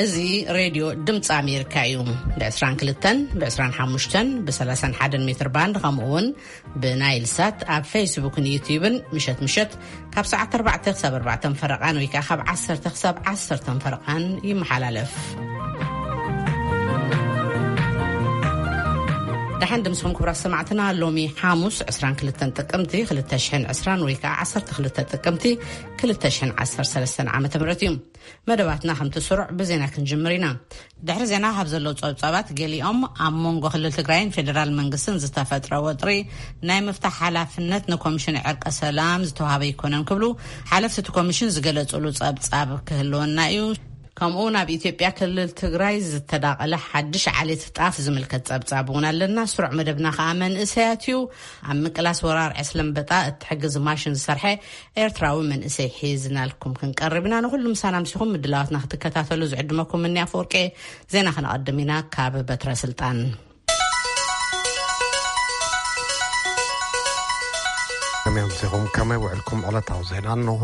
እዚ ሬድዮ ድምፂ ኣሜሪካ እዩ። ብ22፣ ብ25፣ ብ31 ሜትር ባንድ፣ ከምኡ እውን ብናይል ሳት ኣብ ፌስቡክን ዩቲዩብን ምሸት ምሸት ካብ ሰዓት ኣርባዕተ ክሳብ ኣርባዕተ ፈረቓን ወይ ከዓ ካብ ዓሰርተ ክሳብ ዓሰርተ ፈረቓን ይመሓላለፍ። ደሓን ድምስኹም ክቡራት ሰማዕትና። ሎሚ ሓሙስ ዕስራን ክልተን ጥቅምቲ ክልተ ሽሕን ዕስራን ወይ ከዓ ዓሰርተ ክልተ ጥቅምቲ ክልተ ሽሕን ዓሰርተ ሰለስተን ዓመተ ምህረት እዩ። መደባትና ከምቲ ስሩዕ ብዜና ክንጅምር ኢና። ድሕሪ ዜና ካብ ዘለዉ ጸብጻባት ገሊኦም፣ ኣብ መንጎ ክልል ትግራይን ፌደራል መንግስትን ዝተፈጥረ ወጥሪ ናይ ምፍታሕ ሓላፍነት ንኮሚሽን ዕርቀ ሰላም ዝተዋሃበ ኣይኮነን ክብሉ ሓለፍቲ እቲ ኮሚሽን ዝገለጹሉ ጸብጻብ ክህልወና እዩ። ከምኡ ናብ ኢትዮጵያ ክልል ትግራይ ዝተዳቐለ ሓድሽ ዓሌት ጣፍ ዝምልከት ጸብጻብ እውን ኣለና። ስሩዕ መደብና ከዓ መንእሰያት እዩ። ኣብ ምቅላስ ወራር ዕስለ ኣንበጣ እትሕግዝ ማሽን ዝሰርሐ ኤርትራዊ መንእሰይ ሒዝናልኩም ክንቀርብ ኢና። ንኹሉ ምሳና ምሲኹም ምድላዋትና ክትከታተሉ ዝዕድመኩም እኒ ኣፈወርቄ። ዜና ክነቐድም ኢና ካብ በትረ ስልጣን። ከመይ ኣምሲኹም? ከመይ ውዕልኩም? ዕለታዊ ዜና እንሆ።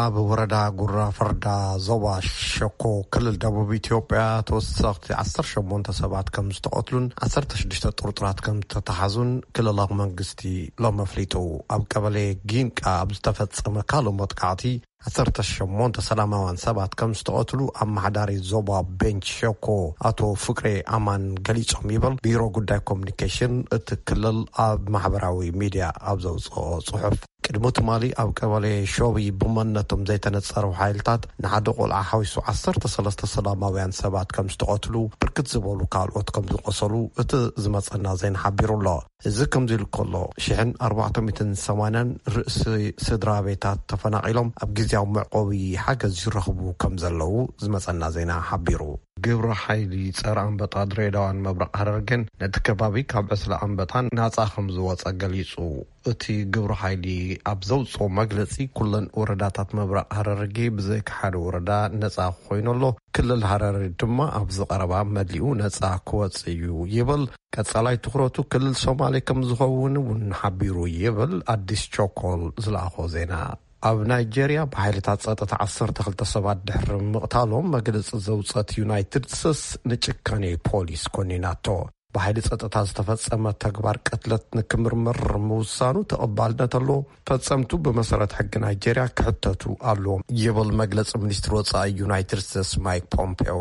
ኣብ ወረዳ ጉራ ፈርዳ ዞባ ሸኮ ክልል ደቡብ ኢትዮጵያ ተወሰኽቲ ዓሰርተ ሸሞንተ ሰባት ከም ዝተቐትሉን ዓሰርተ ሽዱሽተ ጥርጡራት ከም ዝተተሓዙን ክልላዊ መንግስቲ ሎም ኣፍሊጡ። ኣብ ቀበሌ ጊንቃ ኣብ ዝተፈጸመ ካልእ መጥቃዕቲ ዓሰርተ ሸሞንተ ሰላማውያን ሰባት ከም ዝተቐትሉ ኣመሓዳሪ ዞባ ቤንች ሸኮ ኣቶ ፍቅሬ ኣማን ገሊጾም ይብል ቢሮ ጉዳይ ኮሚኒኬሽን እቲ ክልል ኣብ ማሕበራዊ ሚድያ ኣብ ዘውፅኦ ጽሑፍ። ቅድሚ ትማሊ ኣብ ቀበሌ ሾቢ ብመንነቶም ዘይተነጸሩ ሓይልታት ንሓደ ቆልዓ ሓዊሱ ዓሰርተ ሰለስተ ሰላማውያን ሰባት ከም ዝተቐትሉ፣ ብርክት ዝበሉ ካልኦት ከም ዝቆሰሉ እቲ ዝመጸና ዜና ሓቢሩ ኣሎ። እዚ ከምዚ ኢሉ ከሎ፣ ሽሕን ኣርባዕተ ሚእትን ሰማንያን ርእሲ ስድራ ቤታት ተፈናቒሎም ኣብ ግዝያዊ መዕቆቢ ሓገዝ ይረኽቡ ከም ዘለዉ ዝመጸና ዜና ሓቢሩ። ግብረ ሓይሊ ጸረ ኣንበጣ ድሬዳዋን ምብራቕ ሃረርጌን ነቲ ከባቢ ካብ ዕስለ ኣንበጣ ናጻ ከም ዝወጸ ገሊጹ። እቲ ግብረ ሓይሊ ኣብ ዘውጽኦ መግለጺ፣ ኩለን ወረዳታት ምብራቕ ሃረርጌ ብዘይካ ሓደ ወረዳ ነጻ ኮይኑ ኣሎ። ክልል ሃረሪ ድማ ኣብዚ ቀረባ መሊኡ ነጻ ክወጽእ እዩ ይብል። ቀጻላይ ትኹረቱ ክልል ሶማሌ ከም ዝኸውን እውን ሓቢሩ ይብል ኣዲስ ቾኮል ዝለኣኾ ዜና። ኣብ ናይጄርያ ብሓይልታት ጸጥታ ዓሰርተ ክልተ ሰባት ድሕሪ ምቕታሎም መግለጺ ዘውጸት ዩናይትድ ስቴትስ ንጭካኔ ፖሊስ ኮኒናቶ። ብሓይሊ ጸጥታ ዝተፈጸመ ተግባር ቅትለት ንክምርመር ምውሳኑ ተቐባልነት ኣሎ። ፈጸምቱ ብመሰረት ሕጊ ናይጄርያ ክሕተቱ ኣለዎም ይብል መግለጺ ሚኒስትሪ ወጻኢ ዩናይትድ ስቴትስ ማይክ ፖምፔዮ።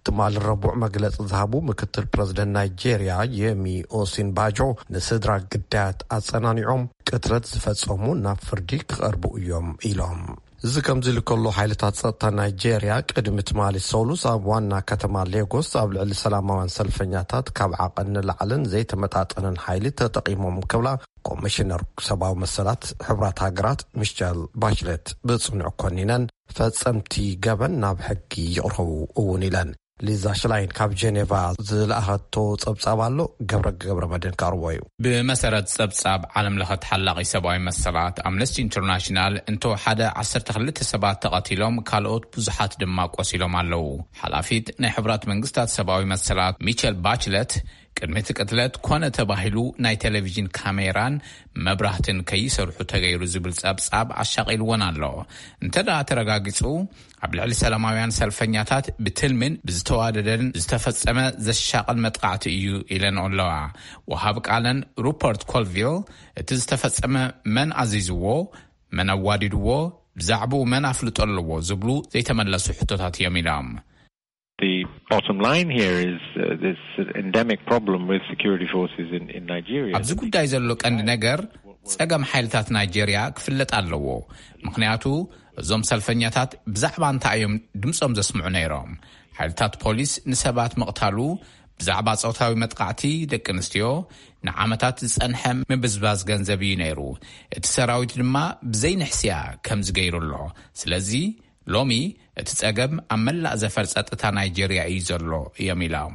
ትማሊ ረቡዕ መግለጺ ዝሃቡ ምክትል ፕረዚደንት ናይጄርያ የሚ ኦሲንባጆ ንስድራ ግዳያት ኣጸናኒዖም፣ ቅትለት ዝፈጸሙ ናብ ፍርዲ ክቐርቡ እዮም ኢሎም። እዚ ከምዚ ኢሉ ከሎ፣ ሓይልታት ጸጥታ ናይጄርያ ቅድሚ ትማሊ ሰሉስ ኣብ ዋና ከተማ ሌጎስ ኣብ ልዕሊ ሰላማውያን ሰልፈኛታት ካብ ዓቐን ንላዕልን ዘይተመጣጠነን ሓይሊ ተጠቒሞም ክብላ ኮሚሽነር ሰብኣዊ መሰላት ሕቡራት ሃገራት ሚሸል ባችለት ብጽኑዕ ኮኒነን፣ ፈጸምቲ ገበን ናብ ሕጊ ይቕረቡ እውን ኢለን። ሊዛ ሽላይን ካብ ጀኔቫ ዝለኣኸቶ ጸብጻብ ኣሎ፣ ገብረ ገብረ መድህን ካርቦ እዩ። ብመሰረት ጸብጻብ ዓለም ለኸ ተሓላቒ ሰብኣዊ መሰላት ኣምነስቲ ኢንተርናሽናል፣ እንተወሓደ ዓሰርተ ክልተ ሰባት ተቐቲሎም፣ ካልኦት ብዙሓት ድማ ቆሲሎም ኣለዉ። ሓላፊት ናይ ሕቡራት መንግስታት ሰብኣዊ መሰላት ሚቸል ባችለት፣ ቅድሚ እቲ ቅትለት ኮነ ተባሂሉ ናይ ቴሌቪዥን ካሜራን መብራህትን ከይሰርሑ ተገይሩ ዝብል ጸብጻብ ኣሻቒልወን ኣሎ። እንተ ደኣ ተረጋጊጹ፣ ኣብ ልዕሊ ሰላማውያን ሰልፈኛታት ብትልምን ብዝተዋደደን ዝተፈጸመ ዘሻቕል መጥቃዕቲ እዩ ኢለን ኣለዋ። ወሃብ ቃለን ሩፐርት ኮልቪል፣ እቲ ዝተፈጸመ መን ኣዚዝዎ፣ መን ኣዋዲድዎ፣ ብዛዕባኡ መን ኣፍልጦ ኣለዎ ዝብሉ ዘይተመለሱ ሕቶታት እዮም ኢሎም። The bottom line here is, uh, this endemic problem with security forces in, in Nigeria. ኣብዚ ጉዳይ ዘሎ ቀንዲ ነገር ጸገም ሓይልታት ናይጄርያ ክፍለጥ ኣለዎ። ምኽንያቱ እዞም ሰልፈኛታት ብዛዕባ እንታይ እዮም ድምጾም ዘስምዑ ነይሮም? ሓይልታት ፖሊስ ንሰባት ምቕታሉ፣ ብዛዕባ ጾታዊ መጥቃዕቲ ደቂ ኣንስትዮ ንዓመታት ዝጸንሐ ምብዝባዝ ገንዘብ እዩ ነይሩ። እቲ ሰራዊት ድማ ብዘይንሕስያ ከምዚ ገይሩ ኣሎ። ስለዚ ሎሚ እቲ ጸገም ኣብ መላእ ዘፈር ጸጥታ ናይጄርያ እዩ ዘሎ እዮም ኢሎም።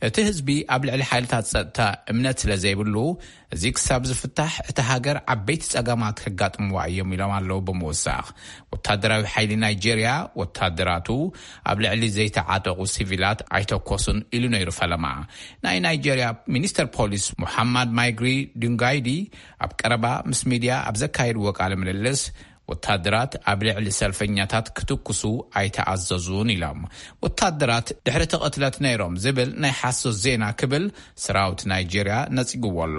እቲ ህዝቢ ኣብ ልዕሊ ሓይልታት ጸጥታ እምነት ስለ ዘይብሉ፣ እዚ ክሳብ ዝፍታሕ እታ ሃገር ዓበይቲ ጸገማት ከጋጥምዋ እዮም ኢሎም ኣለዉ ብምውሳኽ። ወታደራዊ ሓይሊ ናይጄርያ ወታደራቱ ኣብ ልዕሊ ዘይተዓጠቑ ሲቪላት ኣይተኮሱን ኢሉ ነይሩ ፈለማ። ናይ ናይጄርያ ሚኒስተር ፖሊስ ሙሓማድ ማይግሪ ዱንጋይዲ ኣብ ቀረባ ምስ ሚድያ ኣብ ዘካየድዎ ቃለ ምልልስ፣ ወታደራት ኣብ ልዕሊ ሰልፈኛታት ክትኩሱ ኣይተኣዘዙን ኢሎም። ወታደራት ድሕሪ እቲ ቅትለት ነይሮም ዝብል ናይ ሓሶት ዜና ክብል ሰራዊት ናይጄርያ ነጺግዎ ኣሎ።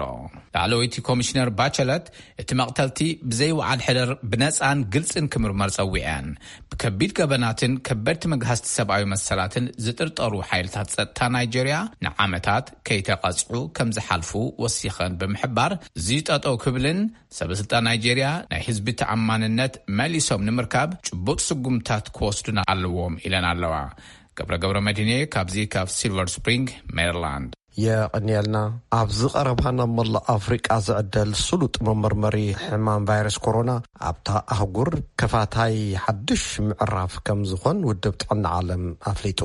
ላዕለወይቲ ኮሚሽነር ባቸለት እቲ መቕተልቲ ብዘይ ወዓል ሕደር ብነጻን ግልጽን ክምርመር ጸዊዐን። ብከቢድ ገበናትን ከበድቲ መግሃስቲ ሰብኣዊ መሰላትን ዝጥርጠሩ ሓይልታት ጸጥታ ናይጄርያ ንዓመታት ከይተቐጽዑ ከም ዝሓልፉ ወሲኸን ብምሕባር፣ እዚ ጠጠው ክብልን ሰበስልጣን ናይጄርያ ናይ ህዝቢ ተኣማንነት መሊሶም ንምርካብ ጭቡጥ ስጉምታት ክወስዱን ኣለዎም ኢለን ኣለዋ። ገብረ ገብረ መድህኔ ካብዚ ካብ ሲልቨር ስፕሪንግ ሜሪላንድ። የቐንየልና። ኣብዚ ቀረባ ናብ መላእ ኣፍሪቃ ዝዕደል ስሉጥ መመርመሪ ሕማም ቫይረስ ኮሮና ኣብታ ኣህጉር ከፋታይ ሓድሽ ምዕራፍ ከም ዝኾን ውድብ ጥዕና ዓለም ኣፍሊጡ።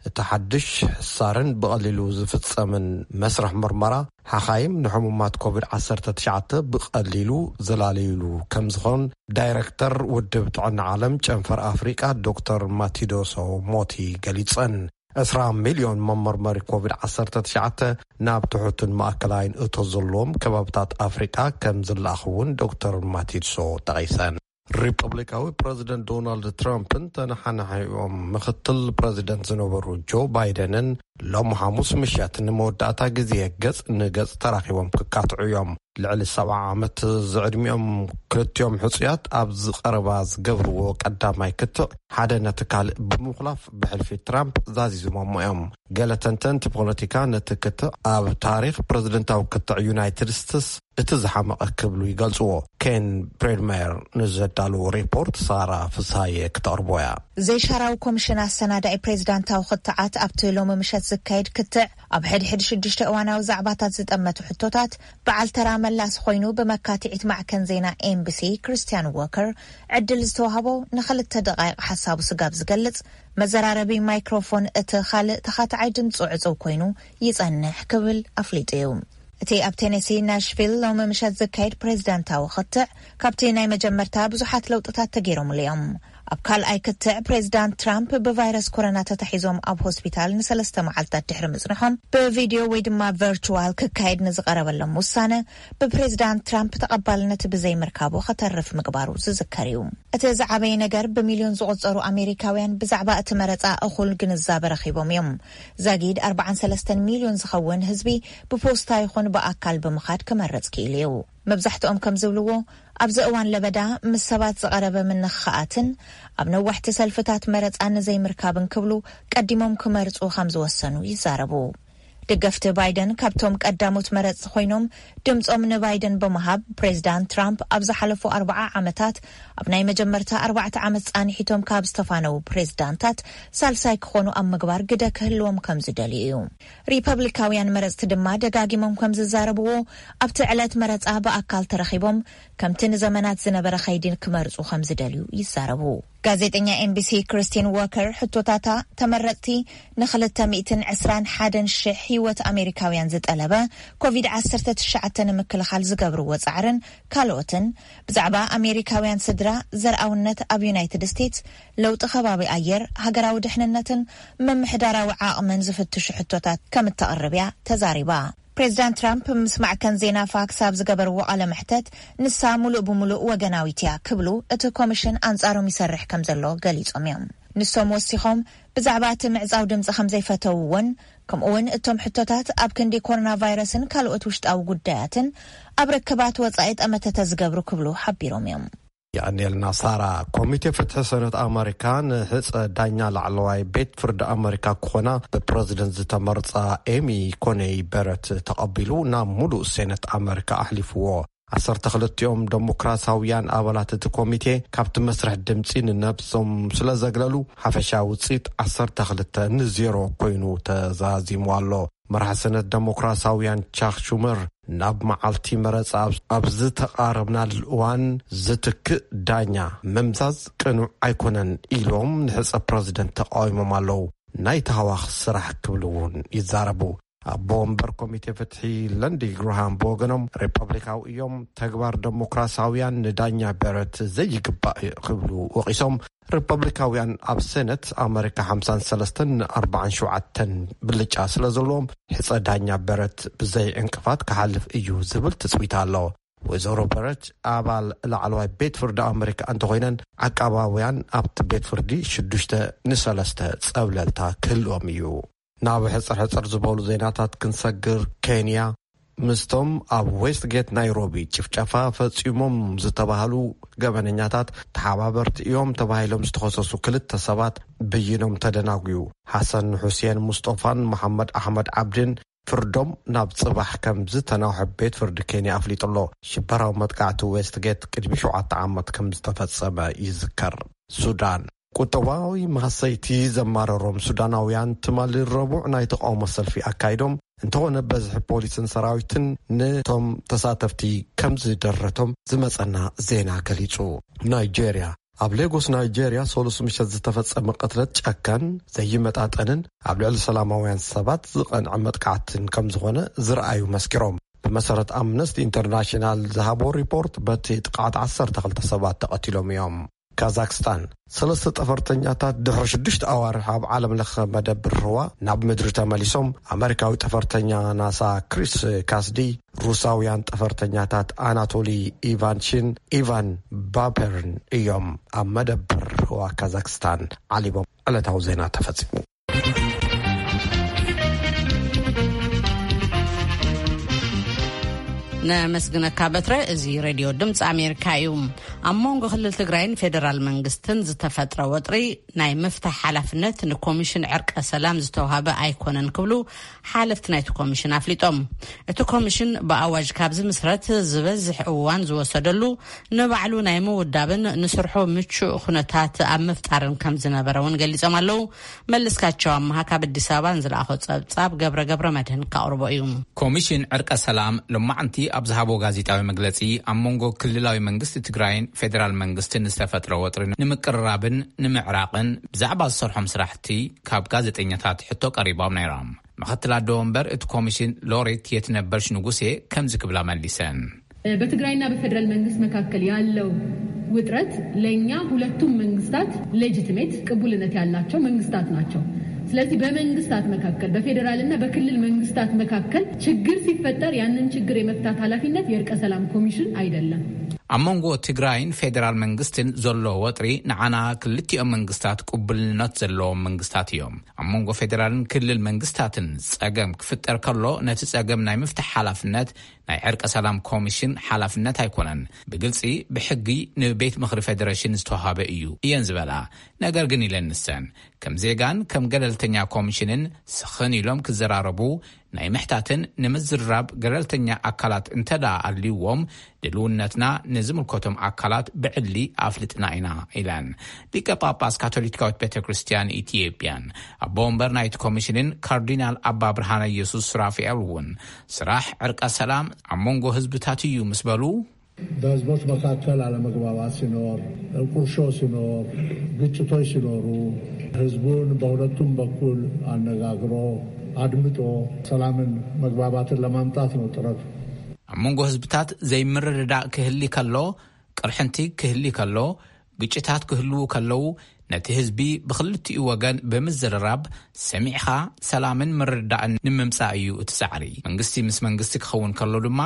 እቲ ሓድሽ ሕሳርን ብቐሊሉ ዝፍጸምን መስርሕ ምርመራ ሓኻይም ንሕሙማት ኮቪድ ዓሰርተ ትሽዓተ ብቐሊሉ ዘላለዩሉ ከም ዝኾን ዳይረክተር ውድብ ጥዕና ዓለም ጨንፈር ኣፍሪቃ ዶክተር ማቲዶሶ ሞቲ ገሊጸን። ዕስራ ሚልዮን መመርመሪ ኮቪድ ዓሰርተ ትሽዓተ ናብ ትሑትን ማእከላይን እቶ ዘለዎም ከባብታት ኣፍሪቃ ከም ዝለኣኽ እውን ዶክተር ማቲድሶ ጠቒሰን። ሪፐብሊካዊ ፕረዚደንት ዶናልድ ትራምፕን ተነሓናሒኦም ምኽትል ፕረዚደንት ዝነበሩ ጆ ባይደንን ሎም ሓሙስ ምሸት ንመወዳእታ ግዜ ገጽ ንገጽ ተራኺቦም ክካትዑ እዮም። ልዕሊ ሰብዓ ዓመት ዝዕድሚኦም ክልቲኦም ሕጹያት ኣብዚ ቀረባ ዝገብርዎ ቀዳማይ ክትዕ ሓደ ነቲ ካልእ ብምኹላፍ ብሕልፊ ትራምፕ ዛዚዞሞሞ እዮም። ገለ ተንተንቲ ፖለቲካ ነቲ ክትዕ ኣብ ታሪኽ ፕረዚደንታዊ ክትዕ ዩናይትድ ስቴትስ እቲ ዝሓመቐ ክብሉ ይገልጽዎ። ኬን ብሬድመየር ንዘዳለዎ ሪፖርት ሳራ ፍስሃየ ክተቕርቦ እያ። ዘይሻራዊ ኮሚሽን ኣሰናዳኢ ፕሬዚዳንታዊ ክትዓት ኣብቲ ሎሚ ምሸት ዝካየድ ክትዕ ኣብ ሕድሕድ ሽዱሽተ እዋናዊ ዛዕባታት ዝጠመቱ ሕቶታት በዓል ተራ መላሲ ኮይኑ ብመካትዒት ማዕከን ዜና ኤምቢሲ ክርስቲያን ዎከር ዕድል ዝተዋህቦ ንኽልተ ደቓይቕ ሓሳቡ ስጋብ ዝገልጽ መዘራረቢ ማይክሮፎን እቲ ካልእ ተኻትዓይ ድምፁ ዕፅው ኮይኑ ይጸንሕ ክብል ኣፍሊጡ እዩ። እቲ ኣብ ቴነሲ ናሽቪል ሎሚ ምሸት ዝካየድ ፕሬዚዳንታዊ ክትዕ ካብቲ ናይ መጀመርታ ብዙሓት ለውጥታት ተገይሮምሉ እዮም። ኣብ ካልኣይ ክትዕ ፕሬዚዳንት ትራምፕ ብቫይረስ ኮሮና ተታሒዞም ኣብ ሆስፒታል ንሰለስተ መዓልታት ድሕሪ ምጽንሖም ብቪድዮ ወይ ድማ ቨርቹዋል ክካየድ ንዝቐረበሎም ውሳነ ብፕሬዚዳንት ትራምፕ ተቐባልነት ብዘይምርካቡ ከተርፍ ምግባሩ ዝዝከር እዩ። እቲ ዝዓበየ ነገር ብሚልዮን ዝቑጸሩ ኣሜሪካውያን ብዛዕባ እቲ መረጻ እኹል ግንዛበ ረኺቦም እዮም። ዛጊድ ኣርባዓን ሰለስተን ሚልዮን ዝኸውን ህዝቢ ብፖስታ ይኹን ብኣካል ብምኻድ ክመርጽ ክኢሉ እዩ። መብዛሕትኦም ከም ዝብልዎ ኣብዚ እዋን ለበዳ ምስ ሰባት ዝቐረበ ምንኽኻኣትን ኣብ ነዋሕቲ ሰልፍታት መረጻ ንዘይምርካብን ክብሉ ቀዲሞም ክመርጹ ከም ዝወሰኑ ይዛረቡ። ደገፍቲ ባይደን ካብቶም ቀዳሞት መረጽቲ ኮይኖም ድምጾም ንባይደን ብምሃብ ፕሬዚዳንት ትራምፕ ኣብ ዝሓለፉ ኣርባዓ ዓመታት ኣብ ናይ መጀመርታ ኣርባዕተ ዓመት ጻንሒቶም ካብ ዝተፋነዉ ፕሬዚዳንታት ሳልሳይ ክኾኑ ኣብ ምግባር ግደ ክህልዎም ከም ዝደልዩ እዩ። ሪፐብሊካውያን መረጽቲ ድማ ደጋጊሞም ከም ዝዛረብዎ ኣብቲ ዕለት መረጻ ብኣካል ተረኺቦም ከምቲ ንዘመናት ዝነበረ ከይዲ ክመርጹ ከም ዝደልዩ ይዛረቡ። ጋዜጠኛ ኤምቢሲ ክርስቲን ዎከር ሕቶታታ ተመረጽቲ ንክልተ ሚእትን ዕስራን ሓደን ሽሕ ህይወት ኣሜሪካውያን ዝጠለበ ኮቪድ ዓሰርተ ትሽዓተ ንምክልኻል ዝገብርዎ ጻዕርን ካልኦትን ብዛዕባ ኣሜሪካውያን ስድራ ዘርኣውነት ኣብ ዩናይትድ ስቴትስ ለውጢ ከባቢ ኣየር ሃገራዊ ድሕንነትን ምምሕዳራዊ ዓቕምን ዝፍትሹ ሕቶታት ከም እተቕርብ እያ ተዛሪባ። ፕሬዚዳንት ትራምፕ ምስ ማዕከን ዜና ፋክስ ኣብ ዝገበርዎ ቃለ መሕተት ንሳ ሙሉእ ብሙሉእ ወገናዊት እያ ክብሉ እቲ ኮሚሽን ኣንጻሮም ይሰርሕ ከም ዘሎ ገሊጾም እዮም። ንሶም ወሲኾም ብዛዕባ እቲ ምዕጻው ድምጺ ከም ዘይፈተውዎን ከምኡ እውን እቶም ሕቶታት ኣብ ክንዲ ኮሮና ቫይረስን ካልኦት ውሽጣዊ ጉዳያትን ኣብ ርክባት ወጻኢ ጠመተ ተዝገብሩ ክብሉ ሓቢሮም እዮም። የቐንየልና ሳራ። ኮሚቴ ፍትሒ ሰነት ኣመሪካ ንሕፀ ዳኛ ላዕለዋይ ቤት ፍርዲ ኣመሪካ ክኾና ብፕረዚደንት ዝተመርፃ ኤሚ ኮነይ በረት ተቐቢሉ ናብ ሙሉእ ሴነት ኣመሪካ ኣሕሊፍዎ። ዓሰርተ ክልቲኦም ደሞክራሳውያን ኣባላት እቲ ኮሚቴ ካብቲ መስርሕ ድምፂ ንነብሶም ስለ ዘግለሉ ሓፈሻዊ ውፅኢት ዓሰርተ ክልተ ንዜሮ ኮይኑ ተዛዚሙ ኣሎ። መራሒ ሰነት ደሞክራሳውያን ቻክ ሹመር ናብ መዓልቲ መረፃ ኣብ ዝተቓረብናሉ እዋን ዝትክእ ዳኛ ምምዛዝ ቅኑዕ ኣይኮነን ኢሎም ንሕፀ ፕረዚደንት ተቃዊሞም ኣለዉ። ናይ ተሃዋኽ ስራሕ ክብሉ እውን ይዛረቡ። ኣቦ ወንበር ኮሚቴ ፍትሒ ለንዲ ግርሃም ብወገኖም ሪፐብሊካዊ እዮም፣ ተግባር ደሞክራሳውያን ንዳኛ በረት ዘይግባእ ክብሉ ወቒሶም። ሪፐብሊካውያን ኣብ ሴነት ኣመሪካ ሓምሳን ሰለስተን ንኣርባዓን ሸውዓተን ብልጫ ስለ ዘለዎም ሕፀ ዳኛ በረት ብዘይ ዕንቅፋት ክሓልፍ እዩ ዝብል ትፅቢት ኣሎ። ወይዘሮ በረች ኣባል ላዕለዋይ ቤት ፍርዲ ኣመሪካ እንተኾይነን፣ ዓቃባውያን ኣብቲ ቤት ፍርዲ ሽዱሽተ ንሰለስተ ጸብለልታ ክህልዎም እዩ። ናብ ሕጽር ሕጽር ዝበሉ ዜናታት ክንሰግር፣ ኬንያ ምስቶም ኣብ ዌስትጌት ናይሮቢ ጭፍጨፋ ፈጺሞም ዝተባህሉ ገበነኛታት ተሓባበርቲ እዮም ተባሂሎም ዝተኸሰሱ ክልተ ሰባት ብይኖም ተደናጉዩ። ሓሰን ሑሴን ሙስጦፋን መሓመድ ኣሕመድ ዓብድን ፍርዶም ናብ ጽባሕ ከም ዝተናውሐ ቤት ፍርዲ ኬንያ ኣፍሊጡ ኣሎ። ሽበራዊ መጥቃዕቲ ዌስትጌት ቅድሚ ሸውዓተ ዓመት ከም ዝተፈጸመ ይዝከር። ሱዳን፣ ቁጠባዊ ማህሰይቲ ዘማረሮም ሱዳናውያን ትማሊ ረቡዕ ናይ ተቃውሞ ሰልፊ ኣካይዶም፣ እንተኾነ በዝሒ ፖሊስን ሰራዊትን ነቶም ተሳተፍቲ ከም ዝደረቶም ዝመጸና ዜና ገሊጹ። ናይጄርያ፣ ኣብ ሌጎስ ናይጄርያ ሰሉስ ምሸት ዝተፈጸመ ቅትለት ጨካን፣ ዘይመጣጠንን ኣብ ልዕሊ ሰላማውያን ሰባት ዝቐንዐ መጥቃዕትን ከም ዝኾነ ዝረኣዩ መስኪሮም። ብመሰረት ኣምነስቲ ኢንተርናሽናል ዝሃቦ ሪፖርት፣ በቲ ጥቃዓት ዓሰርተ ክልተ ሰባት ተቐቲሎም እዮም። ካዛክስታን፣ ሰለስተ ጠፈርተኛታት ድሕሪ ሽዱሽተ ኣዋርሕ ኣብ ዓለም ለኸ መደብር ህዋ ናብ ምድሪ ተመሊሶም። ኣመሪካዊ ጠፈርተኛ ናሳ ክሪስ ካስዲ፣ ሩሳውያን ጠፈርተኛታት ኣናቶሊ ኢቫንቺን ኢቫን ባፐርን እዮም ኣብ መደብር ህዋ ካዛክስታን ዓሊቦም። ዕለታዊ ዜና ተፈጺሙ። ነመስግነካ በትረ። እዚ ሬድዮ ድምፂ ኣሜሪካ እዩ። ኣብ መንጎ ክልል ትግራይን ፌዴራል መንግስትን ዝተፈጥረ ወጥሪ ናይ ምፍታሕ ሓላፍነት ንኮሚሽን ዕርቀ ሰላም ዝተዋሃበ ኣይኮነን ክብሉ ሓለፍቲ ናይቲ ኮሚሽን ኣፍሊጦም። እቲ ኮሚሽን ብኣዋጅ ካብ ዝምስረት ዝበዝሕ እዋን ዝወሰደሉ ንባዕሉ ናይ ምውዳብን ንስርሑ ምቹእ ኩነታት ኣብ ምፍጣርን ከም ዝነበረ እውን ገሊጾም ኣለዉ። መለስካቸው ኣምሃ ካብ ኣዲስ ኣበባ ንዝለኣኾ ጸብጻብ ገብረ ገብረ መድህን ካቕርቦ እዩ። ኮሚሽን ዕርቀ ሰላም ሎማዕንቲ ኣብ ዝሃቦ ጋዜጣዊ መግለጺ፣ ኣብ መንጎ ክልላዊ መንግስቲ ትግራይን ፌዴራል መንግስትን ዝተፈጥረ ወጥሪ ንምቅርራብን ንምዕራቕን ብዛዕባ ዝሰርሖም ስራሕቲ ካብ ጋዜጠኛታት ሕቶ ቀሪቦም ነይሮም። ምክትል ኣደ ወንበር እቲ ኮሚሽን ሎሬት የትነበርሽ ንጉሴ ከምዚ ክብላ መሊሰን። በትግራይና በፌዴራል መንግስት መካከል ያለው ውጥረት ለእኛ ሁለቱም መንግስታት ሌጂቲሜት ቅቡልነት ያላቸው መንግስታት ናቸው። ስለዚህ በመንግስታት መካከል፣ በፌዴራልና በክልል መንግስታት መካከል ችግር ሲፈጠር ያንን ችግር የመፍታት ኃላፊነት የእርቀ ሰላም ኮሚሽን አይደለም። ኣብ መንጎ ትግራይን ፌዴራል መንግስትን ዘሎ ወጥሪ ንዓና ክልቲኦም መንግስታት ቅቡልነት ዘለዎም መንግስታት እዮም። ኣብ መንጎ ፌዴራልን ክልል መንግስታትን ጸገም ክፍጠር ከሎ፣ ነቲ ጸገም ናይ ምፍታሕ ሓላፍነት ናይ ዕርቀ ሰላም ኮሚሽን ሓላፍነት ኣይኮነን። ብግልጺ ብሕጊ ንቤት ምኽሪ ፌዴሬሽን ዝተዋሃበ እዩ እየን ዝበላ። ነገር ግን ኢለን ንሰን፣ ከም ዜጋን ከም ገለልተኛ ኮሚሽንን ስኽን ኢሎም ክዘራረቡ፣ ናይ ምሕታትን ንምዝርራብ ገለልተኛ ኣካላት እንተደኣ ኣልይዎም፣ ድልውነትና ንዝምልከቶም ኣካላት ብዕሊ ኣፍልጥና ኢና ኢለን። ሊቀ ጳጳስ ካቶሊካዊት ቤተ ክርስቲያን ኢትዮጵያን ኣቦ ወንበር ናይቲ ኮሚሽንን ካርዲናል ኣባ ብርሃነ ኢየሱስ ሱራፊኤል እውን ስራሕ ዕርቀ ሰላም ኣብ መንጎ ህዝብታት እዩ ምስ በሉ፣ በህዝቦች መካከል አለመግባባት ሲኖር፣ ቁርሾ ሲኖር፣ ግጭቶች ሲኖሩ ህዝቡን በሁለቱም በኩል አነጋግሮ አድምጦ ሰላምን መግባባትን ለማምጣት ነው ጥረቱ። ኣብ መንጎ ህዝብታት ዘይምርድዳእ ክህሊ ከሎ፣ ቅርሕንቲ ክህሊ ከሎ፣ ግጭታት ክህልዉ ከለዉ፣ ነቲ ህዝቢ ብኽልቲኡ ወገን ብምዝርራብ ሰሚዕኻ ሰላምን ምርድዳእን ንምምጻእ እዩ እቲ ጻዕሪ። መንግስቲ ምስ መንግስቲ ክኸውን ከሎ ድማ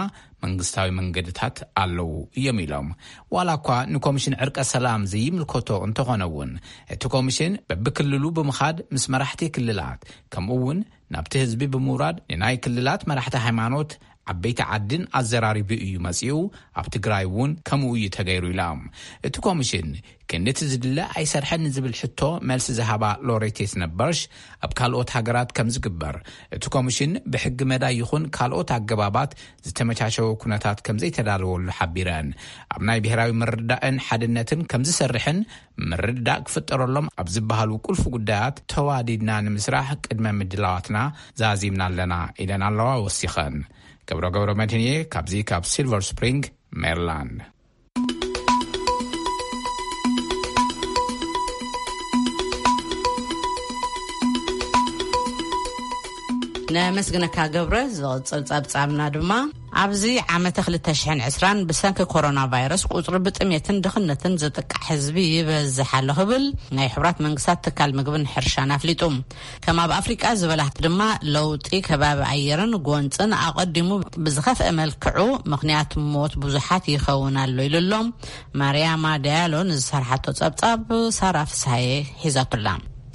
መንግስታዊ መንገድታት ኣለዉ እዮም ኢሎም። ዋላ እኳ ንኮሚሽን ዕርቀ ሰላም ዘይምልከቶ እንተኾነ እውን፣ እቲ ኮሚሽን በብክልሉ ብምኻድ ምስ መራሕቲ ክልላት፣ ከምኡ እውን ናብቲ ህዝቢ ብምውራድ ንናይ ክልላት መራሕቲ ሃይማኖት፣ ዓበይቲ ዓድን ኣዘራሪቡ እዩ መጺኡ። ኣብ ትግራይ እውን ከምኡ እዩ ተገይሩ ኢሎም። እቲ ኮሚሽን ክንድቲ ዝድለ ኣይሰርሐን ንዝብል ሕቶ መልሲ ዝሃባ ሎሬት የትነበርሽ፣ ኣብ ካልኦት ሃገራት ከም ዝግበር እቲ ኮሚሽን ብሕጊ መዳይ ይኹን ካልኦት ኣገባባት ዝተመቻቸወ ኩነታት ከም ዘይተዳለወሉ ሓቢረን፣ ኣብ ናይ ብሔራዊ ምርድዳእን ሓድነትን ከም ዝሰርሕን ምርድዳእ ክፍጠረሎም ኣብ ዝበሃሉ ቁልፊ ጉዳያት ተዋዲድና ንምስራሕ ቅድመ ምድላዋትና ዛዚምና ኣለና ኢለን ኣለዋ። ወሲኸን፣ ገብረ ገብረ መድህንየ ካብዚ ካብ ሲልቨር ስፕሪንግ ሜሪላንድ። ነመስግነካ ገብረ። ዝቕጽል ጸብጻብና ድማ፣ ኣብዚ ዓመተ ክልተ ሽሕን ዕስራን ብሰንኪ ኮሮና ቫይረስ ቁጽሪ ብጥሜትን ድኽነትን ዝጥቃዕ ህዝቢ ይበዝሕ ኣሎ ክብል ናይ ሕቡራት መንግስታት ትካል ምግብን ሕርሻን ኣፍሊጡ። ከም ኣብ ኣፍሪቃ ዝበላ ድማ ለውጢ ከባቢ ኣየርን ጎንጽን ኣቐዲሙ ብዝኸፍአ መልክዑ ምኽንያት ሞት ብዙሓት ይኸውን ኣሎ ኢሉ ኣሎ። ማርያማ ዳያሎ ንዝሰርሓቶ ጸብጻብ ሳራ ፍስሃየ ሒዛቱላ።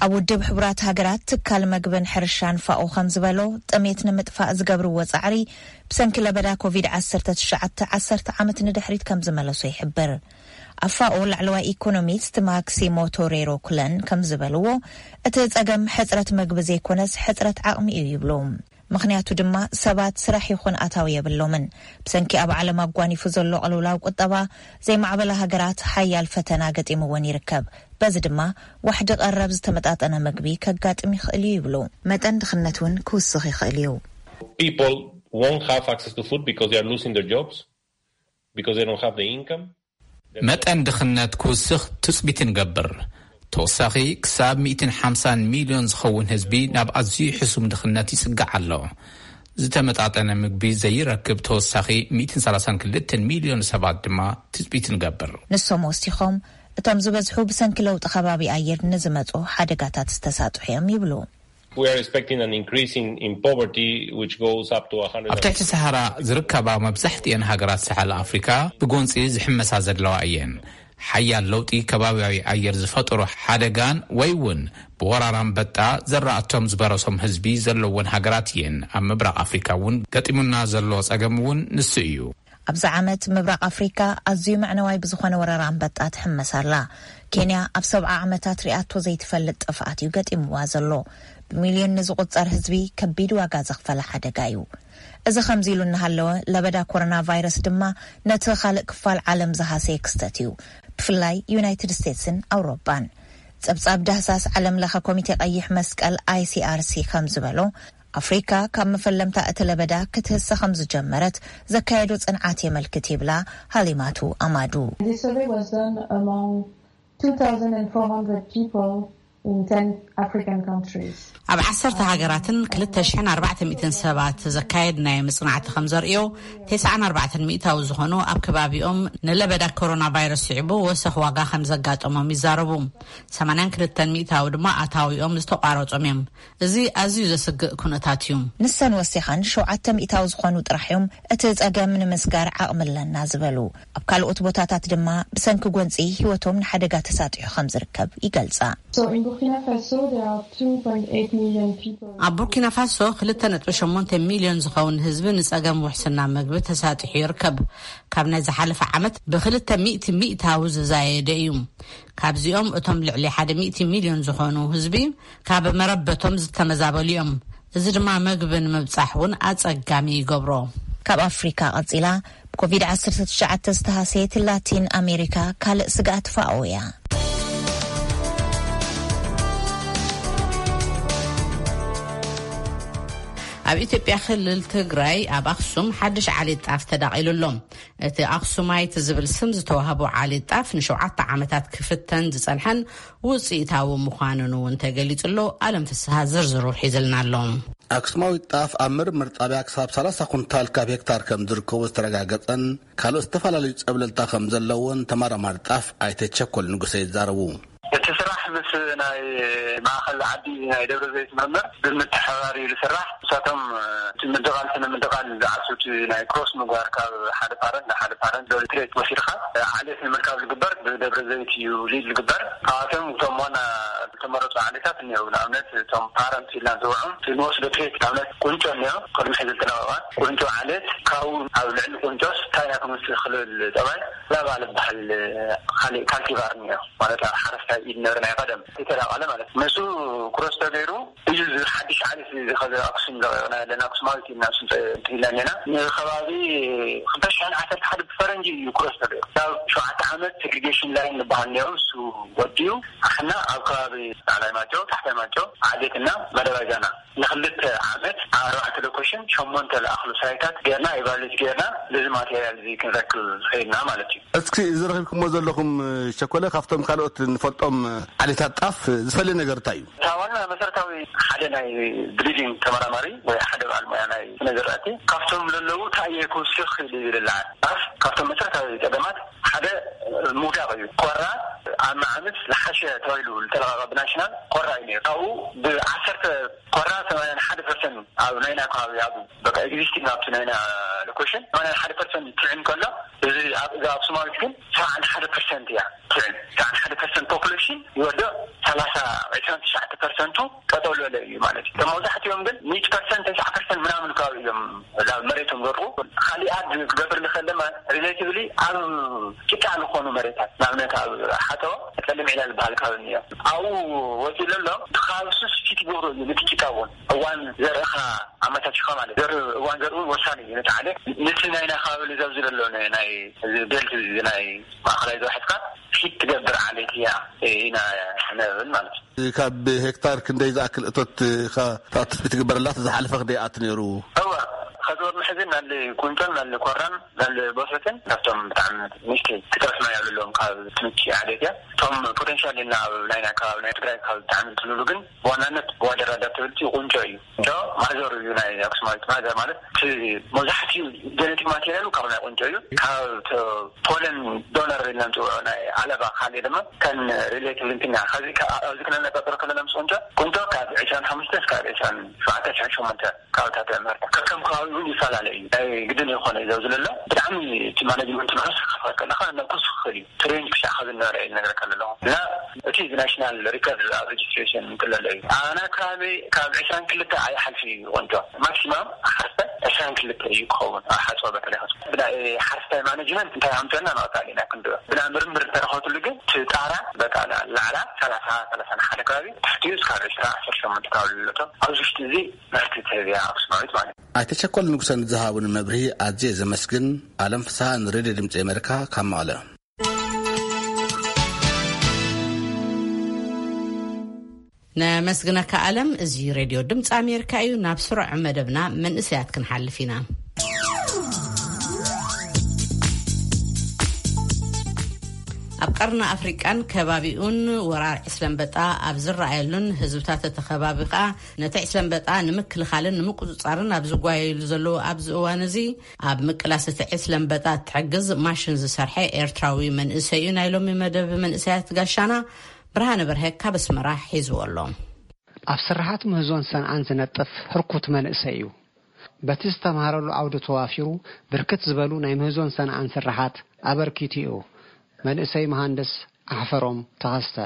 ኣብ ውድብ ሕቡራት ሃገራት ትካል መግብን ሕርሻን ፋኦ ከም ዝበሎ፣ ጥሜት ንምጥፋእ ዝገብርዎ ጻዕሪ ብሰንኪ ለበዳ ኮቪድ ዓሰርተ ትሽዓተ ዓሰርተ ዓመት ንድሕሪት ከም ዝመለሶ ይሕብር። ኣብ ፋኦ ላዕለዋይ ኢኮኖሚስት ማክሲሞ ቶሬሮ ኩለን ከም ዝበልዎ፣ እቲ ጸገም ሕጽረት መግቢ ዘይኮነስ ሕጽረት ዓቕሚ እዩ ይብሉ። ምኽንያቱ ድማ ሰባት ስራሕ ይኹን ኣታዊ የብሎምን። ብሰንኪ ኣብ ዓለም ኣጓኒፉ ዘሎ ቅልውላው ቁጠባ፣ ዘይማዕበላ ሃገራት ሓያል ፈተና ገጢምወን ይርከብ። በዚ ድማ ዋሕዲ ቀረብ ዝተመጣጠነ መግቢ ከጋጥም ይኽእል እዩ ይብሉ። መጠን ድኽነት እውን ክውስኽ ይኽእል እዩ። People won't have access to food because they are losing their jobs, because they don't have the income. መጠን ድኽነት ክውስኽ ትጽቢት ንገብር። ተወሳኺ ክሳብ ሚእትን ሓምሳን ሚልዮን ዝኸውን ህዝቢ ናብ ኣዝዩ ሕሱም ድኽነት ይጽጋዕ ኣሎ። ዝተመጣጠነ ምግቢ ዘይረክብ ተወሳኺ ሚእትን ሰላሳን ክልተን ሚልዮን ሰባት ድማ ትጽቢት ንገብር። ንሶም ወሲኾም፣ እቶም ዝበዝሑ ብሰንኪ ለውጢ ከባቢ ኣየር ንዝመጹ ሓደጋታት ዝተሳጥሑ እዮም ይብሉ። We are expecting an increase in, in poverty, which goes up to one hundred. ኣብ ትሕቲ ሰሃራ ዝርከባ መብዛሕትኤን ሃገራት ሰሓል ኣፍሪካ ብጎንፂ ዝሕመሳ ዘለዋ እየን። ሓያል ለውጢ ከባቢያዊ ኣየር ዝፈጠሮ ሓደጋን ወይ እውን ብወራር ኣንበጣ ዘራእቶም ዝበረሶም ህዝቢ ዘለወን ሃገራት እየን። ኣብ ምብራቕ ኣፍሪካ እውን ገጢሙና ዘሎ ፀገም እውን ንሱ እዩ። ኣብዚ ዓመት ምብራቕ ኣፍሪካ ኣዝዩ መዕነዋይ ብዝኾነ ወረራ ኣንበጣ ትሕመስ ኣላ። ኬንያ ኣብ ሰብዓ ዓመታት ሪኣቶ ዘይትፈልጥ ጥፍኣት እዩ ገጢምዋ ዘሎ። ብሚልዮን ንዝቑጸር ህዝቢ ከቢድ ዋጋ ዘኽፈለ ሓደጋ እዩ። እዚ ከምዚ ኢሉ እናሃለወ፣ ለበዳ ኮሮና ቫይረስ ድማ ነቲ ካልእ ክፋል ዓለም ዝሃሰየ ክስተት እዩ፣ ብፍላይ ዩናይትድ ስቴትስን ኣውሮጳን። ጸብጻብ ዳህሳስ ዓለም ለኸ ኮሚቴ ቀይሕ መስቀል፣ ኣይሲኣርሲ፣ ከም ዝበሎ፣ ኣፍሪካ ካብ መፈለምታ እቲ ለበዳ ክትህሰ ከም ዝጀመረት ዘካየዶ ጽንዓት የመልክት ይብላ ሃሊማቱ ኣማዱ። This survey was done among two thousand four hundred people in ten African countries. ኣብ ዓሰርተ ሃገራትን ክልተ ሽሕን ኣርባዕተ ሚእትን ሰባት ዘካየድናዮ መጽናዕቲ ከም ዘርእዮ፣ ተስዓን ኣርባዕተን ሚእታዊ ዝኾኑ ኣብ ከባቢኦም ንለበዳ ኮሮና ቫይረስ ስዒቡ ወሰኽ ዋጋ ከም ዘጋጠሞም ይዛረቡ። ሰማንያን ክልተን ሚእታዊ ድማ ኣታዊኦም ዝተቋረጾም እዮም። እዚ ኣዝዩ ዘስግእ ኩነታት እዩ። ንሰን ወሲኸን፣ ሸውዓተ ሚእታዊ ዝኾኑ ጥራሕ እዮም እቲ ጸገም ንምስጋር ዓቕሚ ኣለና ዝበሉ። ኣብ ካልኦት ቦታታት ድማ ብሰንኪ ጎንጺ ህይወቶም ንሓደጋ ተሳጢሑ ከም ዝርከብ ይገልጻ። So in Burkina Faso, there are two point eight million people. ኣብ ቡርኪና ፋሶ ክልተ ነጥቢ ሸሞንተ ሚልዮን ዝኸውን ህዝቢ ንጸገም ውሕስና መግቢ ተሳጢሑ ይርከብ። ካብ ናይ ዝሓለፈ ዓመት ብክልተ ሚእቲ ሚእታዊ ዝዛየደ እዩ። ካብዚኦም እቶም ልዕሊ ሓደ ሚእቲ ሚልዮን ዝኾኑ ህዝቢ ካብ መረበቶም ዝተመዛበሉ እዮም። እዚ ድማ መግቢ ንምብጻሕ እውን ኣጸጋሚ ይገብሮ። ካብ ኣፍሪካ ቀጺላ ብኮቪድ ዓሰርተ ትሽዓተ ዝተሃሰየት ላቲን ኣሜሪካ ካልእ ስግኣት ፋኦ እያ። ኣብ ኢትዮጵያ ክልል ትግራይ ኣብ ኣክሱም ሓድሽ ዓሌት ጣፍ ተዳቒሉ ኣሎ። እቲ ኣክሱማይት ዝብል ስም ዝተዋህቦ ዓሌት ጣፍ ንሸውዓተ ዓመታት ክፍተን ዝጸንሐን ውፅኢታዊ ምዃኑን እውን ተገሊጹ ኣሎ። ኣለም ፍስሃ ዝርዝሩ ሒዝልና ኣሎ። ኣክሱማዊት ጣፍ ኣብ ምርምር ጣብያ ክሳብ ሰላሳ ኩንታል ካብ ሄክታር ከም ዝርከቦ ዝተረጋገጸን ካልኦት ዝተፈላለዩ ጸብለልታ ከም ዘለዎን ተመራማሪ ጣፍ ኣይተ ቸኮል ንጉሰ ይዛረቡ። እቲ ስራሕ ምስ ናይ ማእኸል ዓዲ ናይ ደብረ ዘይት ምርምር ብምትሕብባር እዩ ዝስራሕ። ንሳቶም እቲ ምድቓል ስነ ምድቓል ዝዓርሱ እቲ ናይ ክሮስ ምግባር ካብ ሓደ ፓረንት ንሓደ ፓረንት ዶሊ ትሬት ወሲድካ ዓሌት ንምርካብ ዝግበር ብደብረ ዘይት እዩ ሊድ ዝግበር። ካብኣቶም እቶም ዋና ዝተመረፁ ዓሌታት እኒአው። ንኣብነት እቶም ፓረንት ኢልና ንፅውዖም እቲ ንወስዶ ትሬት ንኣብነት ቁንጮ እኒኦ። ቅድሚ ሕዚ ዝተለቐቐ ቁንጮ ዓሌት ካብኡ ኣብ ልዕሊ ቁንጮስ እንታይ ኢና ክንወስድ ክልብል ጠባይ ላባ ዝበሃል ካሊእ ካልቲቫር እኒኦ። ማለት ኣብ ሓረስታይ ኢድ ነብሪ ናይ ቀደም ዝተዳቐለ ማለት እዩ። ንሱ ክሮስ ተገይሩ እዩ እዚ ሓድሽ ዓሌት እዚ ኸዚ ኣክሱም ዘቕረብና ዘለና ኣክሱማዊት ኢልና ንስም እንትን ኢልና እኒና። ንከባቢ ክልተ ሽሕን ዓሰርተ ሓደ ብፈረንጂ እዩ ክሮስ ተገይሩ። ካብ ሸውዓተ ዓመት ሴግሪጌሽን ላይን ዝበሃል እኒኦ፣ እሱ ወዲኡ ኣሕና ኣብ ከባቢ ላዕላይ ማይጨው፣ ታሕታይ ማይጨው፣ ዓዴትና፣ መደባይ ዛና ንክልተ ዓመት ኣብ ኣርባዕተ ሎኬሽን ሸሞንተ ዝኣኽሉ ሳይታት ጌርና፣ ኢቫሉዌት ጌርና፣ ነዚ ማቴርያል እዚ ክንረክብ ኸይድና ማለት እዩ። እስኪ እዚ ረኺብኩሞ ዘለኹም ሸኮለ ካብቶም ካልኦት ንፈልጦም ዓሌታት ጣፍ ዝፈልየ ነገር እንታይ እዩ? እታ ዋና መሰረታዊ ሓደ ናይ ብሪዲንግ ተመራማሪ ወይ ሓደ በዓል ሞያ ናይ ስነ ዝራእቲ ካብቶም ለለዉ እንታይ እየ ክውስኽ ኢሉ ይብል። ኣፍ ካብቶም መሰረታዊ ጸገማት ሓደ ምውዳቕ እዩ። ኮራ ኣብ መዓምስ ዝሓሸ ተባሂሉ ዝተለቐቐ ብናሽናል ኮራ እዩ ነይሩ። ካብኡ ብዓሰርተ ኮራ ሰማንያን ሓደ ፐርሰንት ኣብ ናይና ከባቢ ኣብ በቃ ኤግዚስቲንግ ኣብቲ ናይና ሎኬሽን ሰማንያን ሓደ ፐርሰንት ትዕን ከሎ፣ እዚ ኣብ እዛ ኣብ ሶማሊት ግን ሰብዓን ሓደ ፐርሰንት እያ ትዕን። ሰብዓን ሓደ ፐርሰንት ፖፑሌሽን ይወድቕ፣ ሰላሳ ዕስራን ትሽዓተ ፐርሰንቱ ጠጠው ዝበለ እዩ ማለት እዩ። እቶም መብዛሕትኦም ግን ሚእቲ ፐርሰንት፣ ተስዓ ፐርሰንት ምናምን ከባቢ እዮም ናብ መሬቶም ዘርኡ። ካሊኣት ክገብር ዝኽእል ድማ ሪሌቲቭሊ ኣብ ጭቃ ዝኾኑ መሬታት፣ ንኣብነት ኣብ ሓጠቦ ጸሊም ዒላ ዝበሃል ከባቢ እኒኦ። ኣብኡ ወፂኡ ዘሎ ከባቢ ሱስ ፊት ይገብሮ እዩ። ነቲ ጭቃ እውን እዋን ዘርእኻ ኣመቻችኻ ማለት ዘርኢ እዋን ዘርኢ እውን ወሳኒ እዩ። ነቲ ዓሌት ነቲ ናይና ከባቢ ልዘብ ዝደሎ ናይ ቤልት ናይ ማእኸላይ ዘውሕድካ ፊት ትገብር ዓሌት እያ ኢና ነብል ማለት እዩ። ካብ ሄክታር ክንደይ ዝኣክል እቶት ኢኻ ትኣትት ትግበረላ? እቲ ዝሓለፈ ክንደይ ይኣቱ ነይሩ? እዋ ከዚ ወር ምሕዚ ናለ ቁንጮን ናለ ኮራን ናለ ቦሰትን ካብቶም ብጣዕሚ ንእሽተይ ክጠፍና ያብለሎም ካብ ትምቺ ዓሌት እያ። እቶም ፖቴንሻል ኢልና ኣብ ናይና ከባቢ ናይ ትግራይ ካብ ብጣዕሚ እንትልሉ ግን ብዋናነት ዋደር ኣዳፕታብሊቲ ቁንጮ እዩ። ቁንጮ ማዘር እዩ። ናይ ኣክሱማዊት ማዘር ማለት እቲ መብዛሕትኡ ጀነቲክ ማቴሪያሉ ካብ ናይ ቁንጮ እዩ። ካብ ተ- ፖለን ዶነር ኢልና ንፅውዖ ናይ ኣለባ ካልእ ድማ ከን ሪሌቲቭ እንትና ከዚ ከ- ኣብዚ ክነነፃፅሮ ከለና ምስ ቁንጮ ቁንጮ ካብ ዕስራን ሓሙሽተ እስካብ ዕስራን ሸውዓተ ዕስራን ሸሞንተ ካብታት ምህርታ ከከም ከባቢ እውን ይፈላለ እዩ። ናይ ግድን ዝኾነ እዩ ዘብዝለሎ ብጣዕሚ እቲ ማኔጅመንት ንዑስ ክኸፈል ከለካ ነኩስ ክኽእል እዩ። ትሬንጅ ክሻዕ ከዚ ነበረ እዩ ዝነግረካ ኣለኹ እና እቲ ናሽናል ሪከርድ ኣብ ሬጅስትሬሽን ክለሎ እዩ። ኣና ከባቢ ካብ ዕስራን ክልተ ኣይሓልፍ እዩ ቁንጮ ማክሲማም ሓርፈ ዕስራን ክልተ እዩ ክኸውን ኣብ ሓፅኦ በተለይ ብናይ ሓረስታይ ማኔጅመንት እንታይ ኣምፀና ንቐፃሊ ኢና ክንድኦ ብና ምርምር እንተረኸብትሉ ግን እቲ ጣራ በቃ ላዕላ ሰላሳ ሰላሳ ሓደ ከባቢ ትሕቲኡ እስካብ ዕስራ ዓሰርተ ሸሞንተ ከባቢ ዝለቶ ኣብዚ ውሽጢ እዚ ምህርቲ ትህብ እያ ኣክሱማዊት ማለት እዩ። ኣይተቸኮል ንጉሰ ንዝሃቡኒ መብርሂ ኣዝየ ዘመስግን። ኣለም ፍስሃ ንሬድዮ ድምፂ ኣሜሪካ ካብ መቐለ። ነመስግነካ ኣለም። እዚ ሬድዮ ድምፂ ኣሜሪካ እዩ። ናብ ስሩዕ መደብና መንእሰያት ክንሓልፍ ኢና። ኣብ ቀርኒ ኣፍሪቃን ከባቢኡን ወራር ዕስለ ኣንበጣ ኣብ ዝረኣየሉን ህዝብታት እቲ ከባቢ ከኣ ነቲ ዕስለ ኣንበጣ ንምክልኻልን ንምቁጽጻርን ኣብ ዝጓየሉ ዘለዉ ኣብዚ እዋን እዚ ኣብ ምቅላስ እቲ ዕስለ ኣንበጣ እትሕግዝ ማሽን ዝሰርሐ ኤርትራዊ መንእሰይ እዩ ናይ ሎሚ መደብ መንእሰያት ጋሻና። ብርሃነ በርሀ ካብ ኣስመራ ሒዝዎ ኣሎ። ኣብ ስርሓት ምህዞን ሰንዓን ዝነጥፍ ህርኩት መንእሰይ እዩ። በቲ ዝተምሃረሉ ዓውዲ ተዋፊሩ ብርክት ዝበሉ ናይ ምህዞን ሰንዓን ስርሓት ኣበርኪቱ እዩ። መንእሰይ መሃንድስ ኣሕፈሮም ተኸስተ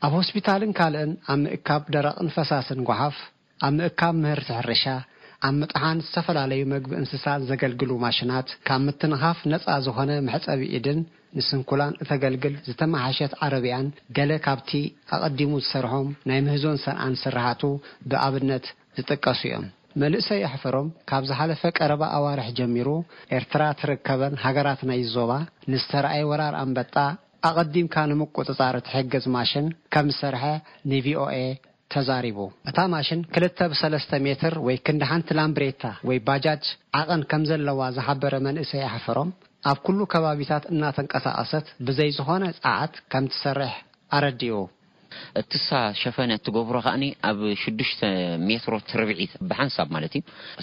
ኣብ ሆስፒታልን ካልእን ኣብ ምእካብ ደረቕን ፈሳስን ጓሓፍ፣ ኣብ ምእካብ ምህርቲ ሕርሻ፣ ኣብ ምጥሓን ዝተፈላለዩ መግቢ እንስሳት ዘገልግሉ ማሽናት፣ ካብ ምትንኻፍ ነፃ ዝኾነ መሕፀቢ ኢድን ንስንኩላን እተገልግል ዝተመሓሸት ዓረብያን ገለ ካብቲ ኣቐዲሙ ዝሰርሖም ናይ ምህዞን ሰንዓን ስርሓቱ ብኣብነት ዝጥቀሱ እዮም። መንእሰይ ኣሕፈሮም ካብ ዝሓለፈ ቀረባ ኣዋርሕ ጀሚሩ ኤርትራ ትርከበን ሃገራት ናይ ዞባ ንዝተረኣየ ወራር ኣንበጣ ኣቐዲምካ ንምቁጽጻር እትሕግዝ ማሽን ከም ዝሰርሐ ንቪኦኤ ተዛሪቡ። እታ ማሽን ክልተ ብሰለስተ ሜትር ወይ ክንዲ ሓንቲ ላምብሬታ ወይ ባጃጅ ዓቐን ከም ዘለዋ ዝሓበረ መንእሰይ ኣሕፈሮም፣ ኣብ ኩሉ ከባቢታት እናተንቀሳቐሰት ብዘይ ዝኾነ ጸዓት ከም ትሰርሕ ኣረዲኡ። እትሳ ሸፈነ እትገብሮ ከኣኒ ኣብ ሽዱሽተ ሜትሮ ትርብዒት ብሓንሳብ ማለት እዩ።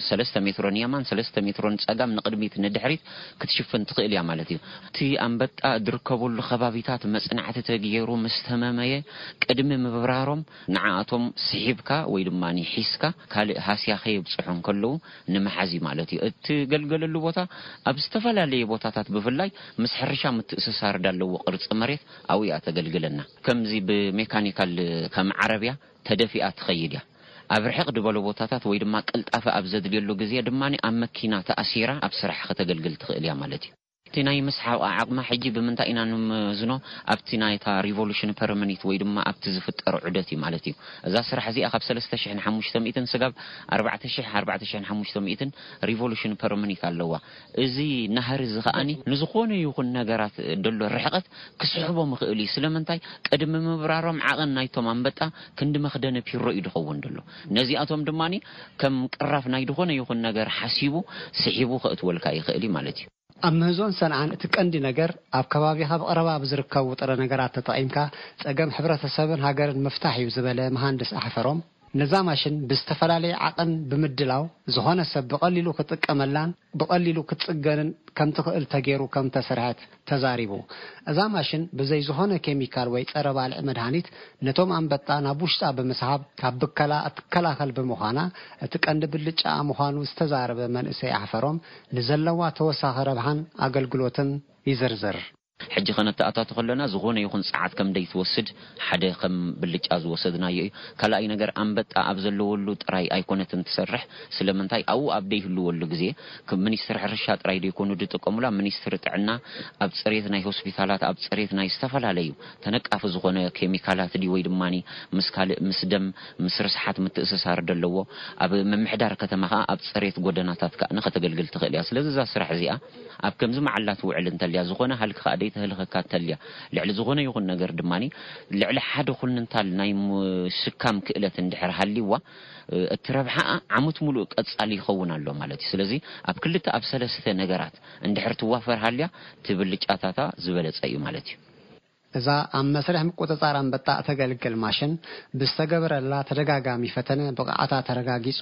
ሰለስተ ሜትሮ ንየማን፣ ሰለስተ ሜትሮ ንጸጋም፣ ንቕድሚት ንድሕሪት ክትሽፍን ትኽእል እያ ማለት እዩ። እቲ ኣንበጣ ዝርከበሉ ከባቢታት መጽናዕቲ ተገይሩ ምስ ተመመየ፣ ቅድሚ ምብራሮም ንዓኣቶም ስሒብካ ወይ ድማ ሒዝካ ካልእ ሃስያ ከየብጽሑ እንከለዉ ንምሓዝ እዩ ማለት እዩ። እትገልገለሉ ቦታ ኣብ ዝተፈላለየ ቦታታት ብፍላይ ምስ ሕርሻ ምትእስሳር ዳለዎ ቅርጺ መሬት ኣብኡ እያ ተገልግለና። ከምዚ ብሜካኒካል ከም ዓረብያ ተደፊኣ ትኸይድ እያ። ኣብ ርሕቕ ዝበሉ ቦታታት ወይ ድማ ቅልጣፈ ኣብ ዘድልየሉ ግዜ ድማ ኣብ መኪና ተኣሲራ ኣብ ስራሕ ከተገልግል ትኽእል እያ ማለት እዩ። እቲ ናይ ምስሓቕ ዓቕማ ሕጂ ብምንታይ ኢና ንምዝኖ? ኣብቲ ናይታ ሪቮሉሽን ፐር ሚኒት ወይ ድማ ኣብቲ ዝፍጠር ዑደት እዩ ማለት እዩ። እዛ ስራሕ እዚኣ ካብ ሰለስተ ሽሕን ሓሙሽተ ሚእትን ስጋብ ኣርባዕተ ሽሕ ኣርባዕተ ሽሕን ሓሙሽተ ሚእትን ሪቮሉሽን ፐር ሚኒት ኣለዋ። እዚ ናህሪ እዚ ከኣኒ ንዝኾነ ይኹን ነገራት ደሎ ርሕቐት ክስሕቦ ምኽእል እዩ። ስለምንታይ? ቅድሚ ምብራሮም ዓቐን ናይቶም ኣንበጣ ክንዲ መኽደኒ ፒሮ እዩ ዝኸውን ደሎ። ነዚኣቶም ድማ ከም ቅራፍ ናይ ዝኾነ ይኹን ነገር ሓሲቡ ስሒቡ ከእትወልካ ይኽእል እዩ ማለት እዩ። ኣብ ምህዞን ሰንዓን እቲ ቀንዲ ነገር ኣብ ከባቢኻ ብቐረባ ብዝርከቡ ጥረ ነገራት ተጠቒምካ ጸገም ሕብረተሰብን ሃገርን ምፍታሕ እዩ ዝበለ መሃንድስ ኣሕፈሮም፣ ነዛ ማሽን ብዝተፈላለየ ዓቐን ብምድላው፣ ዝኾነ ሰብ ብቐሊሉ ክጥቀመላን ብቐሊሉ ክትጽገንን ከም ትኽእል ተገይሩ ከም ተሰርሐት ተዛሪቡ። እዛ ማሽን ብዘይ ዝኾነ ኬሚካል ወይ ጸረ ባልዕ መድሃኒት ነቶም ኣንበጣ ናብ ውሽጣ ብምስሓብ ካብ ብከላ እትከላኸል ብምዃና፣ እቲ ቀንዲ ብልጫኣ ምዃኑ ዝተዛረበ መንእሰይ ኣሕፈሮም፣ ንዘለዋ ተወሳኺ ረብሓን ኣገልግሎትን ይዝርዝር። ሕጂ ከነተኣታቶ ከለና፣ ዝኾነ ይኹን ጸዓት ከም ደይትወስድ ሓደ ከም ብልጫ ዝወሰድናዮ እዩ። ካልኣይ ነገር፣ ኣንበጣ ኣብ ዘለወሉ ጥራይ ኣይኮነትን ትሰርሕ። ስለምንታይ? ኣብኡ ኣብ ደይህልወሉ ግዜ፣ ከም ሚኒስትሪ ሕርሻ ጥራይ ደይኮኑ ዝጥቀሙላ፣ ሚኒስትሪ ጥዕና ኣብ ጽሬት ናይ ሆስፒታላት፣ ኣብ ጽሬት ናይ ዝተፈላለዩ ተነቃፊ ዝኾነ ኬሚካላት ድዩ ወይ ድማኒ ምስ ካልእ፣ ምስ ደም፣ ምስ ርስሓት ምትእስሳር ደለዎ፣ ኣብ ምምሕዳር ከተማ ከኣ ኣብ ጽሬት ጎደናታት ከኣ ንኸተገልግል ትኽእል እያ። ስለዚ እዛ ስራሕ እዚኣ ኣብ ከምዚ መዓላ ትውዕል እንተልያ፣ ዝኾነ ሃልኪ ከኣ ደይተህልኸካ እንተልያ፣ ልዕሊ ዝኾነ ይኹን ነገር ድማኒ፣ ልዕሊ ሓደ ኩንንታል ናይ ምሽካም ክእለት እንድሕር ሃልይዋ፣ እ፣ እቲ ረብሓኣ ዓመት ሙሉእ ቀጻሊ ይኸውን ኣሎ ማለት እዩ። ስለዚ ኣብ ክልተ ኣብ ሰለስተ ነገራት እንድሕር ትዋፈር ሃልያ፣ እቲ ብልጫታታ ዝበለጸ እዩ ማለት እዩ። እዛ ኣብ መስርሕ ምቁጽጻር ኣንበጣ እተገልግል ማሽን፣ ብዝተገበረላ ተደጋጋሚ ፈተነ ብቕዓታ ተረጋጊጹ፣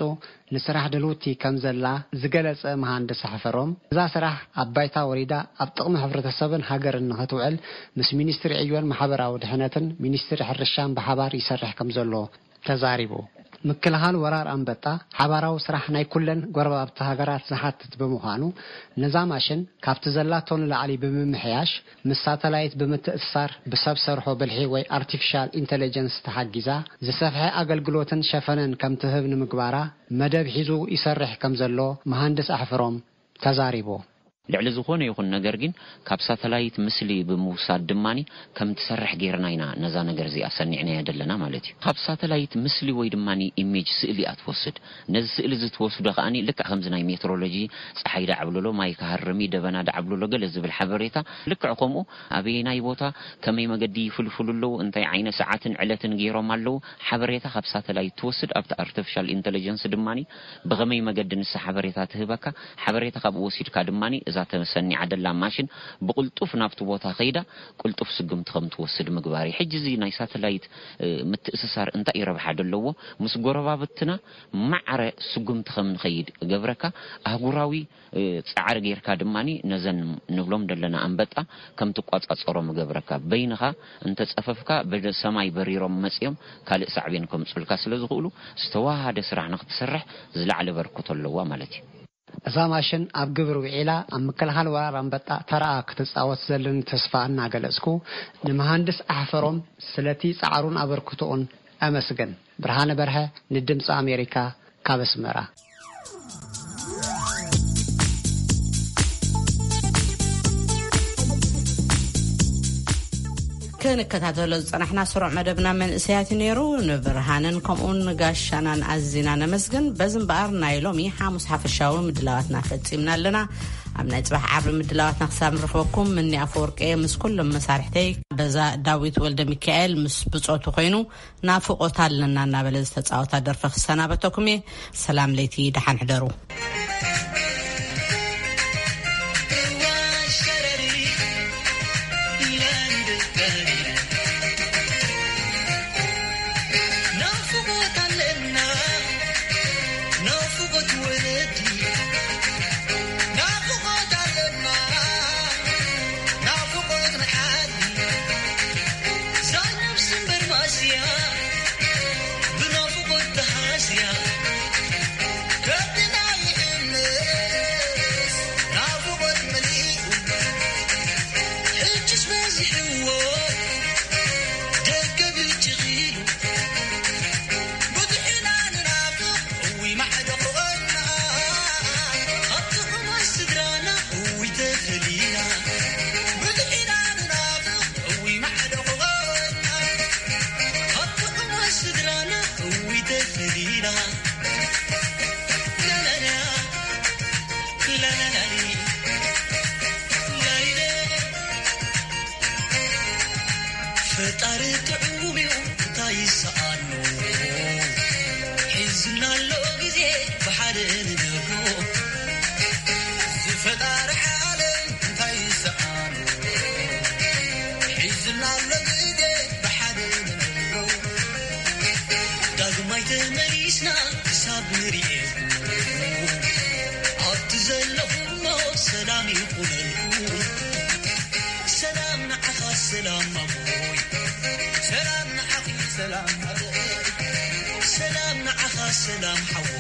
ንስራሕ ድልውቲ ከም ዘላ ዝገለጸ መሃንድስ ኣሕፈሮም፣ እዛ ስራሕ ኣብ ባይታ ወሪዳ ኣብ ጥቕሚ ሕብረተሰብን ሃገርን ንኽትውዕል ምስ ሚኒስትሪ ዕዮን ማሕበራዊ ድሕነትን ሚኒስትሪ ሕርሻን ብሓባር ይሰርሕ ከም ዘሎ ተዛሪቡ። ምክልኻል ወራር ኣንበጣ ሓባራዊ ስራሕ ናይ ኩለን ጎረባብቲ ሃገራት ዝሓትት ብምዃኑ፣ ነዛ ማሽን ካብቲ ዘላቶ ንላዕሊ ብምምሕያሽ፣ ምስ ሳተላይት ብምትእስሳር፣ ብሰብ ሰርሖ ብልሒ ወይ ኣርቲፊሻል ኢንተለጀንስ ተሓጊዛ፣ ዝሰፍሐ ኣገልግሎትን ሸፈነን ከም ትህብ ንምግባራ መደብ ሒዙ ይሰርሕ ከም ዘሎ መሃንድስ ኣሕፍሮም ተዛሪቡ። ልዕሊ ዝኾነ ይኹን ነገር ግን፣ ካብ ሳተላይት ምስሊ ብምውሳድ ድማኒ ከም ትሰርሕ ጌርና ኢና ነዛ ነገር እዚኣ ሰኒዕናያ ዘለና ማለት እዩ። ካብ ሳተላይት ምስሊ ወይ ድማኒ ኢሜጅ፣ ስእሊ እያ ትወስድ። ነዚ ስእሊ እዚ ትወስዶ ከኣኒ ልክዕ ከምዚ ናይ ሜትሮሎጂ፣ ጸሓይ ዳዕብልሎ፣ ማይ ክሃርም እዩ፣ ደበና ዳዕብልሎ፣ ገለ ዝብል ሓበሬታ፣ ልክዕ ከምኡ ኣበየናይ ቦታ፣ ከመይ መገዲ ይፍልፍሉ ኣለዉ፣ እንታይ ዓይነት ሰዓትን ዕለትን ገይሮም ኣለዉ፣ ሓበሬታ ካብ ሳተላይት ትወስድ፣ ኣብቲ ኣርቲፊሻል ኢንተለጀንስ ድማኒ ብኸመይ መገዲ ንሳ ሓበሬታ ትህበካ፣ ሓበሬታ ካብኡ ወሲድካ ድማኒ እዛ ተሰኒዓ ደላ ማሽን ብቕልጡፍ ናብቲ ቦታ ከይዳ ቅልጡፍ ስጉምቲ ከም ትወስድ ምግባር እዩ። ሕጂ እዚ ናይ ሳተላይት፣ እ፣ ምትእስሳር እንታይ እዩ ረብሓ ደለዎ? ምስ ጎረባብትና ማዕረ ስጉምቲ ከም ንኸይድ እገብረካ። ኣህጉራዊ፣ እ፣ ጻዕሪ ጌርካ ድማኒ ነዘን ንብሎም ደለና ኣንበጣ ከም ትቋጻጸሮም እገብረካ። በይንኻ እንተጸፈፍካ ብሰማይ በሪሮም መጺኦም ካልእ ሳዕቤን ከምጹልካ ስለ ዝኽእሉ፣ ዝተዋሃደ ስራሕ ንኽትሰርሕ ዝለዓለ በርክቶ ኣለዋ ማለት እዩ። እዛ ማሽን ኣብ ግብሪ ውዒላ ኣብ ምክልኻል ወራር ኣንበጣ ተራኣ ክትጻወት ዘለኒ ተስፋ እናገለጽኩ፣ ንመሃንድስ ኣሕፈሮም ስለቲ ጻዕሩን ኣበርክቶኡን ኣመስግን። ብርሃነ በርሀ፣ ንድምጺ ኣሜሪካ፣ ካብ ኣስመራ። ክንከታተሎ ዝጸናሕና ስሩዕ መደብና መንእሰያት እዩ ነይሩ። ንብርሃንን ከምኡውን ንጋሻናን ኣዚና ነመስግን። በዚ እምበኣር ናይ ሎሚ ሓሙስ ሓፈሻዊ ምድላዋትና ፈጺምና ኣለና። ኣብ ናይ ጽባሕ ዓርቢ ምድላዋትና ክሳብ ንረኽበኩም፣ ምኒ ኣፈወርቂ ምስ ኩሎም መሳርሕተይ፣ በዛ ዳዊት ወልደ ሚካኤል ምስ ብጾቱ ኮይኑ ናፍቖት ኣለና እናበለ ዝተጻወታ ደርፊ ክሰናበተኩም እየ። ሰላም ለይቲ፣ ደሓን ሕደሩ። ሰላም ንዓኻ ሰላም ኣቦይ፣ ሰላም ንዓኺ ሰላም ኣቦይ፣ ሰላም ንዓኻ ሰላም ሓወይ።